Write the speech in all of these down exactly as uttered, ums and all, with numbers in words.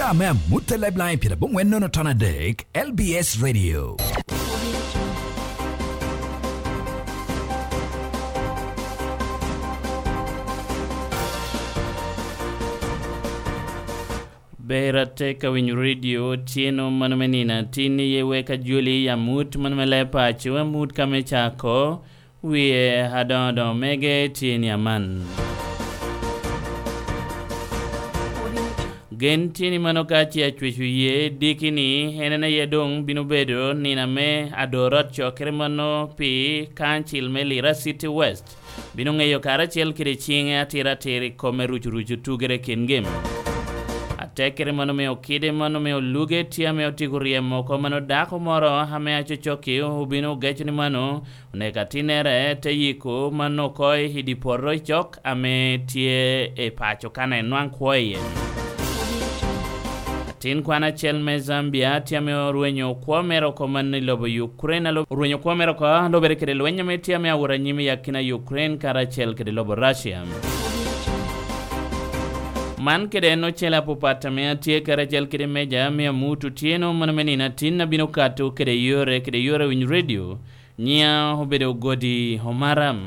Ame amut e Lifeline pyerabongwen nono ton adek, L B S Radio. Ber atek ka winyo redio otyeno mano me nino atin, iye wek ajoli i amut mano me leb paco, amut ka me cako, wie adoŋo adoŋo mege tye ni aman. Gen tye ni mano ka ce acweco ye diki ni, en en aye doŋ bino bedo nino ame adorot cokere mano pi kancil me Lira City West. Bino ŋeyo karacel kede ciŋe atira atir i kom me ruco ruco tugere kin gem. Atekere mano me okide mano me oluge tye ame otyeko ryemo oko mano dako moro ame acocokki obino ogeco ni mano oneko atinnere te yiko mano oko i di poto i cok ame tye i paco kan en nwaŋ kwo iye. Atin kwan acel me Zambia tye ame orwenyo kwo mere oko man i lobo Ukraine, alo-, orwenyo kwo mere oko lobere kede lweny ame tye ame awot anyim i akina Ukraine karacel kede lobo Russia. Man kede en ocele apupat ame atye karacel kede meja me amut otyeno mano me nino atin abino kato kede yore kede yore winy redio. Nyiŋa obedo Godi Omaram.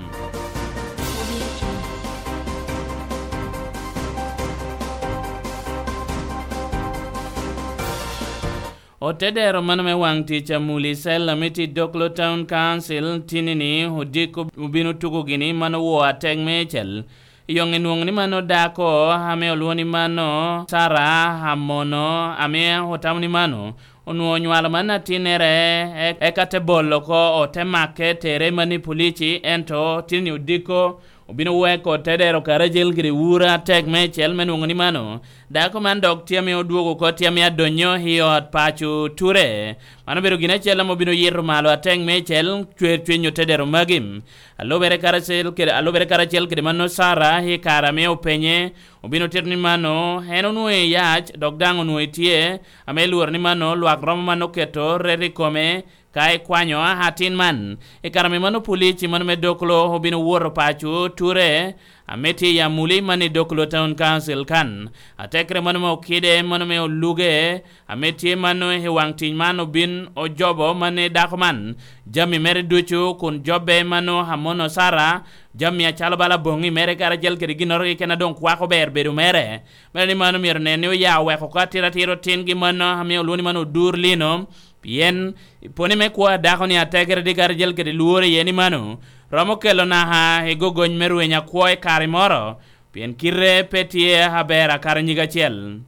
Otedero mano me waŋ tic Amuli Cell ame tye i Doklo Town Council tinni-ni odiko obino tuko gini mano woo atek me cel. Yoŋ enwoŋo ni mano dako ame olwoŋo ni mano Sara Amono ame otamo ni mano onwoŋo onywalo man atinnere, e-, eka te bolo oko, ote make tere man i polici, ento tinni odiko obino weko te dero karacel kede wura atek me cel me nwoŋo ni mano dako man dok tye ame odwogo oko tye ame adonyo i ot paco ture. Man obedo gin acel ame obino yito malo atek me cel cwer cwiny ote dero magi. Alubere karacel kede, alubere karacel kede mano Sara i kare ame openye, obino tito ni mano en onwoŋo i yac, dok daŋ onwoŋo etye, ame lworo ni mano lwak romo man oketo ret i kome, ka ikwanyo atin man. I kare ame mano polici mano me Doklo obino woto paco ture, ame tye i Amuli man i Doklo Town Council kan. Atekere mano me okide, mano me oluge, ame tye mano i waŋ tic man obin ojobo mano i dako man. Jami mere ducu kun jobbe mano Amono Sara, jami acalo bala boŋŋi mere karacel kede ginnoro keken a doŋ kwako ber bedo mere. Mere ni mano myero nen ni oya oweko oko atira atira otingi mano ame olwoŋo ni mano odur lino. Pien poni me kwo a dako-ni atekere di karacel kede lworo iye ni mano romo kelo naka i gogony me rweny akwo i kare moro, pien kite pe tye aber akato nyig acel.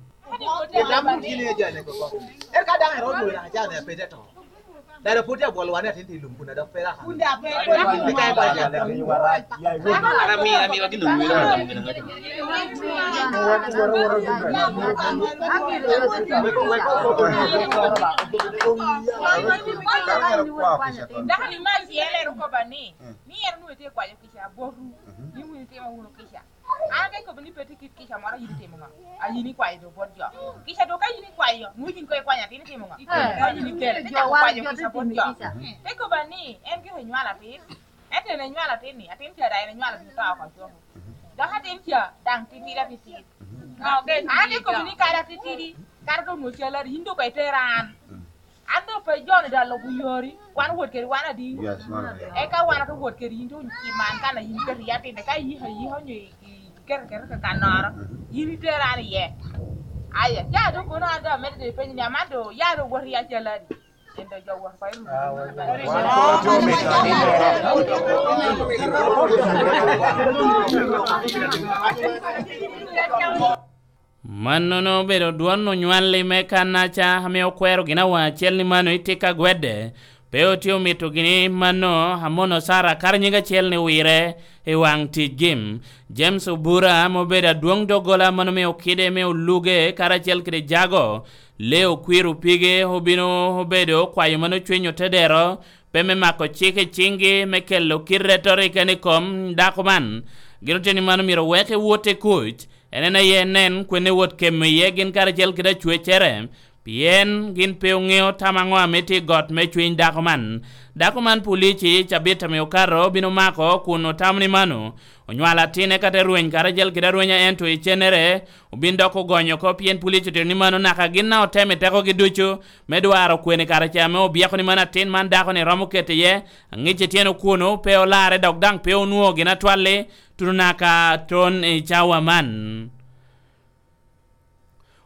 Eka daŋ erot wira acan ya pete to. Dada pwod tye abwolo wane atin tye i lum kun adok pe raka. Kun dok pe raka. Eka en kwayo jale. Ara mi, ara mi, wagi no wira. Weko, weko, weko. Dako ni ma ityelo en okoba ni, ni en onwoŋo tye kwayo kica abotu, ni wun itimo wunu kica. An ate kobo ni pe tye kit kica moro a yin itimo ŋo? A yin ikwayo do bot jo. Kica do ka yin ikwayo, nwoŋo yin koŋ ikwanyo atin itimo ŋo? Ka yin ikelo, te cako kwayo kica bot jo. Te koba ni, en gire enywalo atin. Ento en enywalo atin-ni, atin ca daŋ en enywalo atin oto oko coko. Dok atin ca daŋ titidi atitidi. An ate kobo ni kara titidi, kara doŋ nwoŋo cal adi, yin doŋ koŋ itera an. An doŋ pe joni doŋ alubo yori, wan owot kede wan adi? Yes, man adi. Eka wan oto wot kede yin, to i man kan a yin iketo iye atinne, ka iyiko ayika onyo i, i, iketo aketa ka kannoro, yin itero an iye. Aya, ya doŋ kono an doŋ amedde doŋ ipenyo ni, aman doŋ ya doŋ wot iye acalo adi? En doŋ jo wot oko i ruu. Mannono obedo dwon onywalli me kannaca ame okwero gin awa acel ni mano itye ka gwedde, pe otye omito gini mano Amono Sara kara nyig acel ni wire i waŋ ticgi. James Obura ame obedo adwoŋ doggola mano me okide me oluge karacel kede jago, Leo Kwir Opige obino obedo okwayo mano cwiny otedero, pe me mako cik i ciŋgi me kelo kite retorika ni kom dako man. Gin oteni mano myero wek ewot i kuc, en en aye nen kwene wot kemo iye gin karacel kede acwecere, pien gin pe oŋeo tam aŋo ame tye i got me cwiny dako man. Dako man polici cabit ame okato obin omako kun otamo ni mano onywalo atinne ka te rweny karacel kede arwenya, ento icennere obin dok ogonyo oko, pien polici otito ni mano naka gin daŋ otemo i tekogi ducu me dwaro kwene kare ca ame obyeko ni mano atin man dako-ni romo keto iye, aŋic i tyeno kuno, pe olarre dok daŋ pe onwoŋo gin atwalli tuno naka ton i cawa man.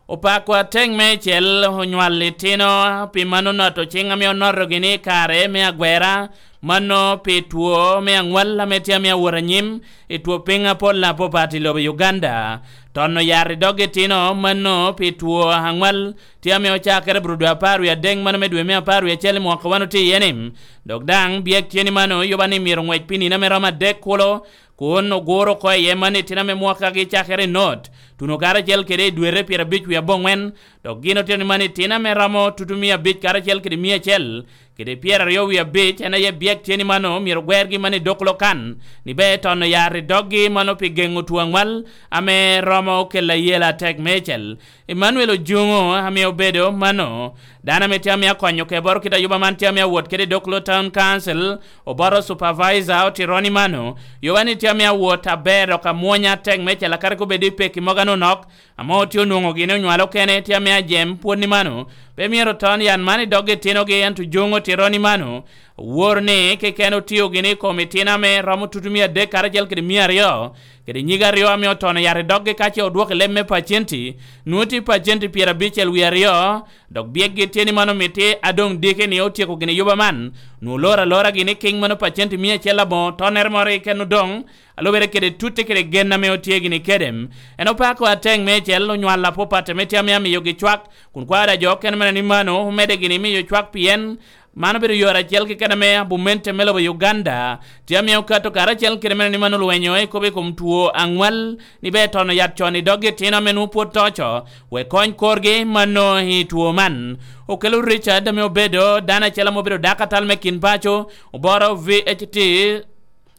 Opako atek meicel onywal litino, pi mano noto ciŋ ame onotogi ni i kare me agwera, mano pi two me aŋwal ame tye ame awot anyim i two piny apol apapat i lobo Uganda. Tono yat i dog itino mano pi two aŋwal tye ame ocakere brudo apar wie adek mano me dwe me apar wie acel i mwaka wan otye iye-ni. Dok daŋ byek tye ni mano yuba ni myero ŋwec pi nino ame romo adek kulo, kun oguro oko iye man itino ame mwakagi cakere i not, tuno karacel kede i dwete pyerabic wie aboŋwen, dok gin otito ni man itino ame romo tutu mia abic karacel kede mia acel kede pyeraryo wie abic, en aye byek tye ni mano myero gwergi man i dok lokan, ni be tono yat i doggi mano pi geŋo two aŋwal ame romo kelo ayela atek meicel. Emmanuel Ojuŋo ame obedo mano, dano ame tye ame akonyo keboro kit ayuba man tye ame awot kede i Dokolo Town Council, oboro supervisor otito ni mano, yuba ni tye ame awot aber dok amwonya atek meicel akare kobedi peki mogo anonok, ame otye onwoŋo gin onywalo kene tye ame ajem pwod ni mano, pe myero ton yan man i dog itinogi, ento Ojuŋo otito ni mano, woro ni keken otio gin i kom itino ame romo tutu mia adek karacel kede mia aryo, kede nyige aryo ame otono yat i doggi ka ce odwoko i leb me pacenti, nwoŋo tye pacenti pyerabicel wie aryo, dok byekgi tye ni man omiti adoŋ diki ni otyeko gin i yuba man, nwoŋo loro alora gin i kiŋ mano pacenti mia acel aboŋo tonnere moro keken odoŋ, alubere kede tutte kede gen ame otye gini kede. En opako ateŋ meicel onywal apapat ame tye ame amiyogi cwak, kun kwaro a jo okene mene ni mano omedde gini miyo cwak pien man obedo yore acel keken ame abumente me lobo Uganda tye ame okato karacel kede mene ni mano olwenyo i kop i kom two aŋwal, ni be tono yat con i doggi itino ame nwoŋo pwod to oco, wek kony korgi mano i two man. Okelo Richard ame obedo dano acel ame obedo dako atal me kin paco, oboro V H T,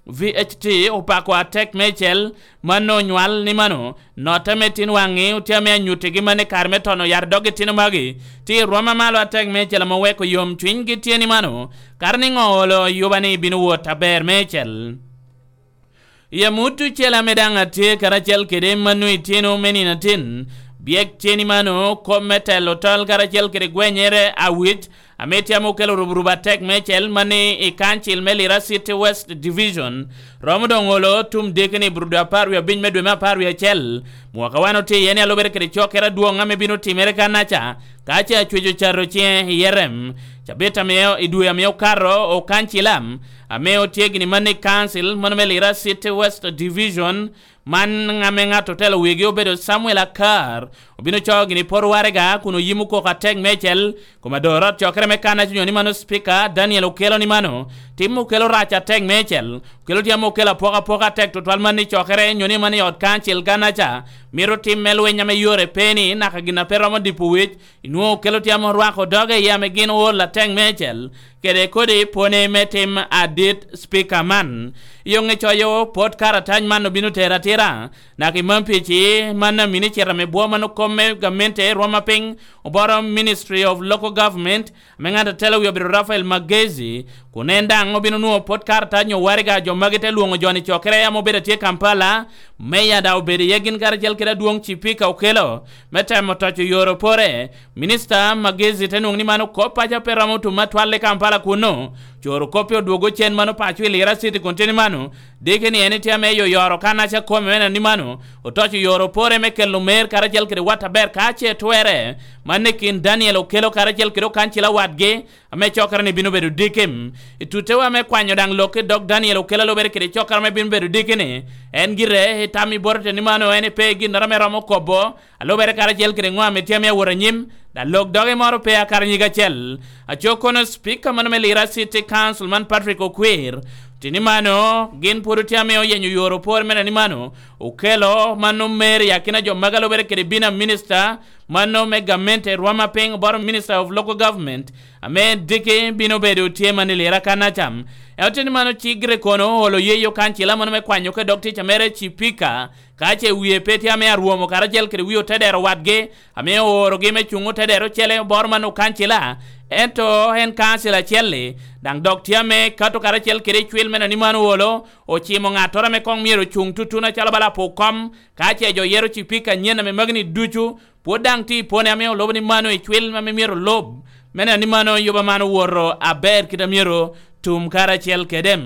V H T opako atek meicel, mano onywal ni mano, notte me tin waŋi otye ame anyuttigi man i kare me tono yat i dog itino magi, tye i rwom amalo atek meicel ame oweko yom cwinygi tye ni mano, kare ni ŋo olo yuba ni bino wot aber meicel. I amut ocele ame daŋ atye karacel kede mano itino me nino atin, byek tye ni mano, kop me telo tol karacel kede gwenyere awic, ame tye ame okelo ruburubu atek meicel man ni i kancil me Lira City West Division, romo doŋ olo tum diki ni brudo apar wie abic me dwe me apar wie acel. Mwaka wan otye iye ni alubere kede cokere adwoŋ ame bino timere kanaca, ka ce acwec ocato ciŋe i Yerem. Cabit ame i dwe ame okato, okancila ame otye gini man i kancil mano me Lira City West Division, man ame ŋat otelo wigi obedo Samuel Akar, obino coo gini poro waraga kun oyimo koko atek meicel, kom adoro ot cokere me kanaca onyo ni mano Speaker Daniel Okello ni mano, tim okelo rac atek meicel, okelo tye ame okelo apokapoka atek tutwal man i cokere onyo ni mano i ot kancil kanaca, mito tim me lweny ame yore pe ni naka gin a pe romo dipo wic, inwoŋo okelo tye ame orwako doge iye ame gin ool atek meicel, kede kodi pwone me tim adit Speaker man. I oŋe coyo pot karatac man obino tero atira, naka i man pici man amini cito ame bwo man okom me gamente rwom apiny, oboro Ministry of Local Government, ame ŋat atelo wi obedo Rafael Magezi, kun en daŋ obino nwoŋo pot karatac nyo waraga jo magi te lwoŋo jo-ni cokere ame obedo atye Kampala, meya daŋ obedo iye gin karacel kede adwoŋ Cipika Okello, me temo toco yore opore. Minista Magezi te nwoŋo ni mano kop paco pe romo tum atwal i Kampala kunno. Coro kop pe odwogo cen mano paco i Lira City kun tye ni mano, diki ni en itye ame yoyoro kanaca kome me neno ni mano otoco yore opore me kelo mer karacel kede wat aber ka ce twere. Man i kin Daniel Okello karacel kede okancila wadgi, ame cokere ni bino bedo diki. I tuttewa me kwanyo daŋ lok i dog Daniel Okello lubere kede cokere ame bino bedo diki ni, en gire i tam i bote ni mano en pe ginnoro ame romo kobo, alubere karacel kede ŋo ame tye ame awot anyim, daŋ lok doge moro pe akato nyig acel. Aco kono Speaker mano me Lira City Council man Patrick Okwir, tye ni mano gin pwod otye ame oyenyo yore opore mene ni mano Okello mano mer i akina jo magi alubere kede bina minista Mano me gamente rwom apiny boro Minister of Local Government, ame diki bino bedo tye man i Lira kan acam. En oteni mano ci Grekono olo yeyo kancila mano me kwanyo ke dog tic a mere Cipika, ka ce wie pe tye ame arwomo karacel kede wie otedero wadgi, ame oorogi me cuŋ otedero ocele boro man okancila. Ento en kancila acel-li, daŋ dok tye ame kato karacel kede cwil me nani mano olo, ocimo ŋattoro ame koŋ myero ocuŋ tutuno acalo bala apo kom, ka ce jo yero Cipika anyen ame magi-ni ducu, pwod daŋ tye i pone ame olubo ni mano i cwil ame myero olub, me neno ni mano yuba man owoto aber kit a myero tum karacel kede.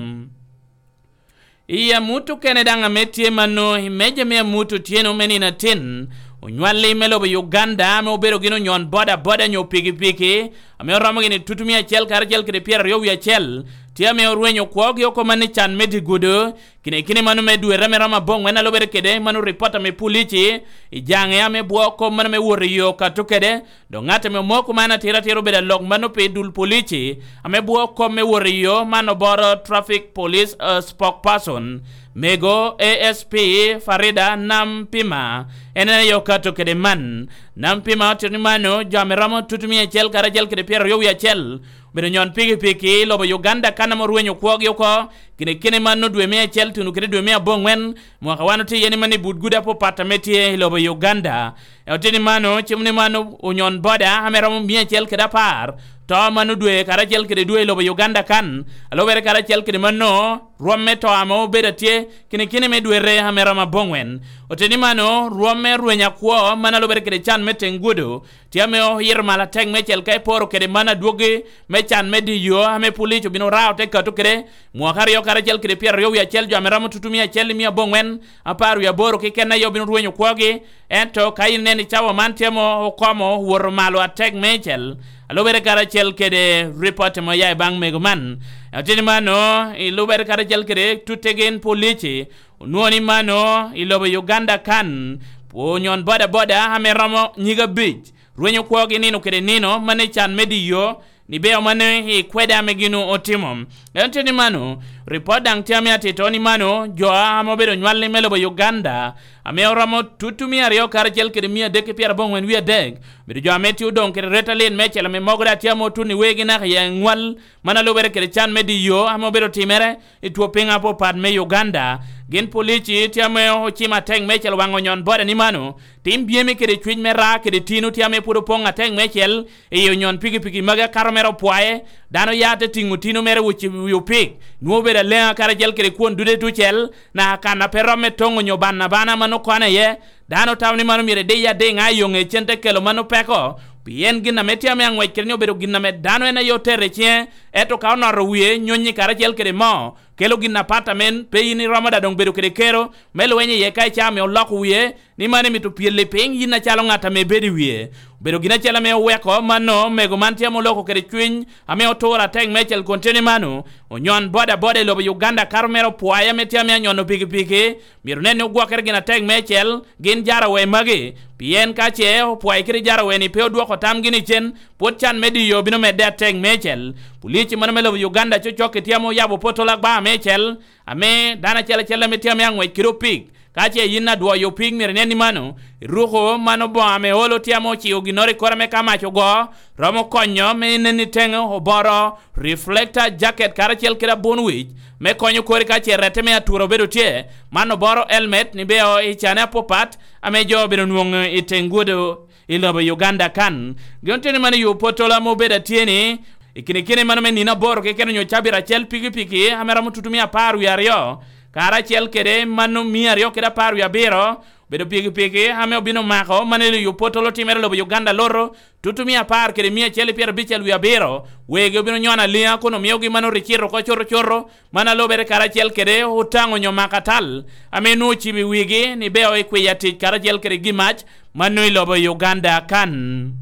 I amut okene daŋ ame tye mano, i meja me amut otyeno me nino atin, onywalli me lobo Uganda ame obedo gin onyon boda boda nyo pikipiki, ame oromo gini tutumia acel karacel kede pyeraryo wie acel, tye ame orwenyo kwogi oko man i can me dye gudo, kine kine mano me dwere ame romo aboŋwen a lubere kede mano ripot ame pulici i jaŋe ame bwo kop mano me wot i yo kato kede, dok ŋat ame omoko man atira atira obedo alok mano pi dul pulici ame bwo kop me wot i yo man oboro traffic police, eh, spokesperson mego A S P Farida Nampima, en aye okato kede man. Nampima otito ni mano jo ame romo tutumia acel karacel kede pyeraryo wie acel obedo nyon pikipiki i lobo Uganda kan ame orwenyo kwogi oko, kine kine mano dwe me acel tuno kede dwe me aboŋwen, mwaka wan otye iye ni mano i but gudo apapat ame tye i lobo Uganda. Otito ni mano, cimo ni mano onyon boda ame romo mia acel kede apar to mano dwe karacel kede dwe i lobo Uganda kan, a lubere karacel kede mano rwom me to ame obedo atye kine kine me dwere ame romo aboŋwen. Otito ni mano rwom me rweny akwo mano a lubere kede can me teŋ gudo, tye ame oyito malo atek meicel ka iporo kede man adwogi me can me diyo ame pulic obino rao te kato kede mwaka aryo karacel kede pyeraryo wie acel jo ame romo tutumia acel i mia aboŋwen apar wie aboro keken aye obino rwenyo kwogi. Ento ka in ineno i cawa man tye mo okomo woto malo atek meicel, a lubere karacel kede ripot ame oya i baŋ mego man. Ateni mano i lubere karacel kede tutte gin pulici onwoŋo ni mano i lobo Uganda kan onyon boda boda ame romo nyig abic rwenyo kwogi nino kede nino mano i can me diyo ni beo mano i kwede ame gin otimo. En tye ni mano, ripot daŋ tye ame atito ni mano jo ame obedo nywalli me lobo Uganda ame oromo tutu mia aryo karacel kede mia adek ki pyeraboŋwen wie adek obedo jo ame tye odoŋ kede ret alin meicel ame mogo daŋ tye ame otuno i wegi naka i nywal mano a lubere kede can me diyo ame obedo timere i two piny apapat me Uganda. Gin polici tye ame ocimo atek meicel waŋ onyon boda ni mano tim byemi kede cwiny me raa kede tino tye ame pwod opoŋ atek meicel i onyon pikipiki magi akato mere opwaye. Dano ya te tiŋo tino mere wi opik, nwoŋo obedo aleŋa karacel kede kwon dude tucel, naka kan a pe romme toŋo onyo bana bana mano kone iye. Dano tamo ni mano myero ediye adiŋa i yo ŋecen te kelo mano peko, pien gin ame tye ame aŋwec kede ni obedo gin ame dano en aye otere i ciŋe, ento ka onoto wie nyonyi karacel kede moo, kelo gin apat amen pe in iromo da doŋ bedo kede kero me lweny iye ka icaa ame oloko wie ni mano emito pyelli piny yin acalo ŋat ame ibedo i wie. Obedo gin acel ame oweko mano mego man tye ame oloko kede cwiny ame oturo atek meicel kun tye ni mano onyon boda boda i lobo Uganda kato mere opwaye ame tye ame anyono pikipiki myero nen ni ogwokere gin atek meicel gin jarawe magi, pien ka ce opwaye kede jarawe ni pe odwoko tamgi ni cen, pwod can me diyo bino medde atek meicel. Pulici mano me lobo Uganda cocok-ki tye ame oyabo potol agba meicel ame dano acel acel ame tye ame aŋwec kede opik. Ka ce yin adwoyo opik myero inen ni mano iruko mano boŋo ame olo tye ame ociko ginnoro i kore me ka mac ogo, romo konyo me inen ni teŋe oboro reflector jacket karacel kede abun wic me konyo kori ka ce rette me atura obedo tye. Man oboro helmet ni beo i cane apapat ame jo obedo nwoŋo i teŋ gudo i lobo Uganda kan. Gin oteni man i yo potolo ame obedo atye ni i kine kine mano me nino aboro keken onyo cabit acel pikipiki ame romo tutumia apar wie aryo karacel kede mano mia aryo kede apar wie abiro obedo pikipiki ame obino mako mano i yo potolo timere lobo Uganda loto tutumia apar kede mia acel i pyerabicel wie abiro wegi obino nyono aliŋa kun omiogi mano ricito oko coto coto mano alobere karacel kede otaŋo onyo mako atal ame nwoŋo ocibo i wigi ni beo i kwiya tic karacel kede gimac mano i lobo Uganda kan.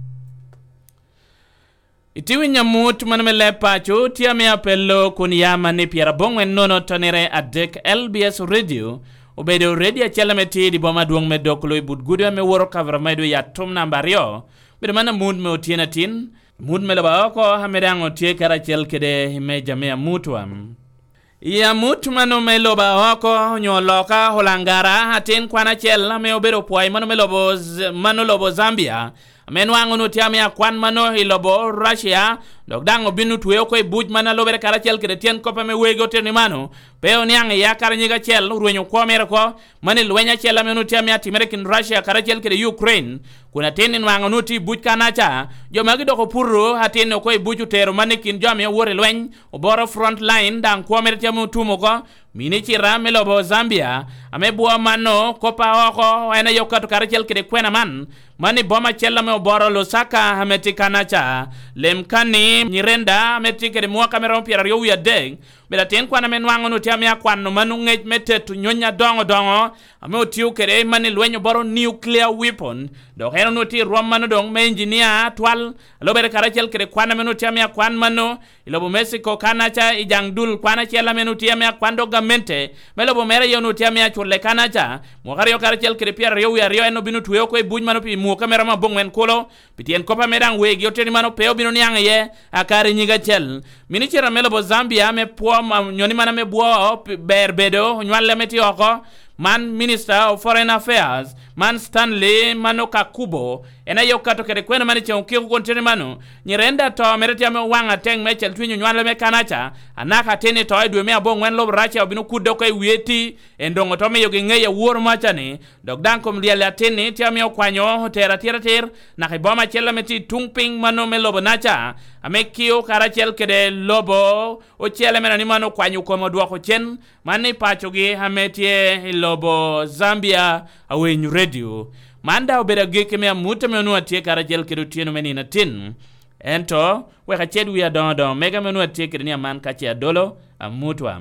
Iti winyo amut mano me leb paco tye ame apello kun ya man ni pyeraboŋwen nono tonere adek L B S Radio obedo redio acel ame tye i di boma adwoŋ me Dokolo i but gudo ame woro kavera medo i atum namba aryo. Obedo man amut me otyeno atin, amut me loba oko ame daŋ otye karacel kede i meja me amutwa. I amut mano me lobo aoko onyo loka Olangara, atin kwan acel ame obedo opwoi mano me lobo Z-, mano lobo Zambia, ame nwaŋ onwoŋo tye ame akwan mano i lobo Russia, dok daŋ obin otweo oko i buc man a lubere karacel kede tyen kop ame wegi otito ni mano, pe oniaŋ iye akara nyig acel, orwenyo kwo mere oko, mano i lweny acel ame onwoŋo tye ame atimere i kin Russia karacel kede Ukraine, kun atin ni nwaŋ onwoŋo tye i buc kanaca, jo magi dok oputo atin oko i buc otero man i kin jo ame owoto i lweny, oboro front line, daŋ kwo mere tye ame otum oko. Minicita me lobo Zambia, ame bwo mano, kop a oko, en aye okato karacel kede kwena man, man i boma acel ame oboro Lusaka ame tye kanaca. Lem kanni, Nyirenda ame tye kede mwaka me romo pyeraryo wie adek, obedo atin kwan ame nwaŋ onwoŋo tye ame akwano mano ŋec me teto nyony adoŋo doŋo, ame otio kede man i lweny oboro nuclear weapon, dok en onwoŋo tye i rwom mano doŋ me engineer atwal, a lubere karacel kede kwan ame onwoŋo tye ame akwan mano, i lobo Mexico kanaca i jaŋ dul kwan acel ame onwoŋo tye ame akwan dok gamente me lobo mere aye onwoŋo tye ame acule kanaca, mwaka aryo karacel kede pyeraryo wie aryo en obino twe oko i buc mano pi mwaka me romo aboŋwen kulo, pi tyen kop ame daŋ wegi oteni mano pe obino niaŋ iye, akare nyig acel. Minicita me lobo Zambia me pwo ma-, nyoni man ame bwo pi-, ber bedo, onywale ame tye oko, man Minister of Foreign Affairs, man Stanley mano Kakubo, en aye okato kede kwena man i ceŋ okiko kun teni mano, Nyirenda to mere tye ame owaŋ ateŋ me cel twinyo nywale me kanaca, anaka atin i to i dwe me aboŋwen lobo Russia obino kudde oko i wie ti, en doŋ oto miyogi ŋeyo awor maca ni, dok daŋ kom lyel atin ni tye ame okwanyo otero atiratir, naka i boma acel ame tye i tuŋ piny mano me lobo naca, ame kio karacel kede lobo ocele meno ni mano okwanyo kome odwoko cen, man i pacogi ame tye i lobo Zambia, Awinyo Radio. Man daŋ obedo agikki me amut ame onwoŋo atye karacel kede otyeno me nino atin. Ento, wek aced wi adoŋo doŋo mega ame onwoŋo atye kede ni aman ka ce adolo, amutwa.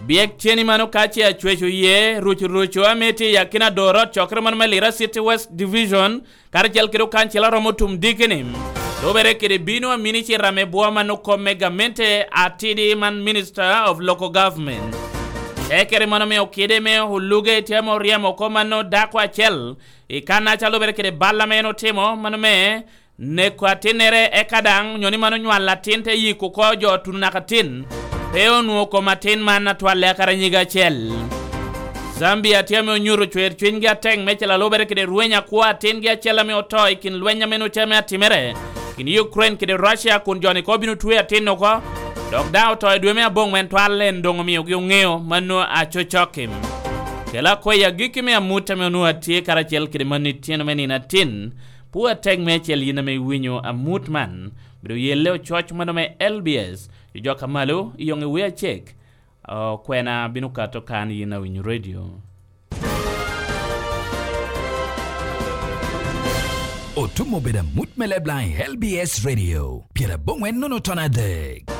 Byek ceni mano ka ce acweco ye, ruc ruco ame tye i akina doro ot cokere mano me Lira City West Division, karacel kede okancila romo tum dikini. Lubere kede bino a minicita me bwo man okomme gamente atidi man Minister of Local Government. Tekere mano me okide me oluge tye ame oryemo oko mano dako acel i kan aca lubere kede bal ame en otimo mano me neko atinnere eka daŋ onyo ni mano nywal atin te yiko oko jo tuno naka tin. Pe onwoŋo kom atin man atwalle akara nyige acel. Zambia tye ame onyuto cwer cwinygi atek me calo lubere kede rweny akwo atingi acel ame oto i kin lweny ame nwoŋo tye ame atimere kin Ukraine kede Russia kun joni ko bino twe atin oko, dok daŋ oto i dwe me aboŋwen twal en doŋ omiogi oŋeo mano acocokki. Kela akwai agikki me amut ame onwoŋo atye karacel kede mano i tyeno me nino atin, pwo atek me acel yin ame iwinyo amut man, bedo yelle ococ mano me L B S, jojok amalo, iyoŋ i wi acek, Okwena bino kato kan yin awinyo redio. Otum obedo amut me Leblang i L B S Radio, pyeraboŋwen nono ton adek.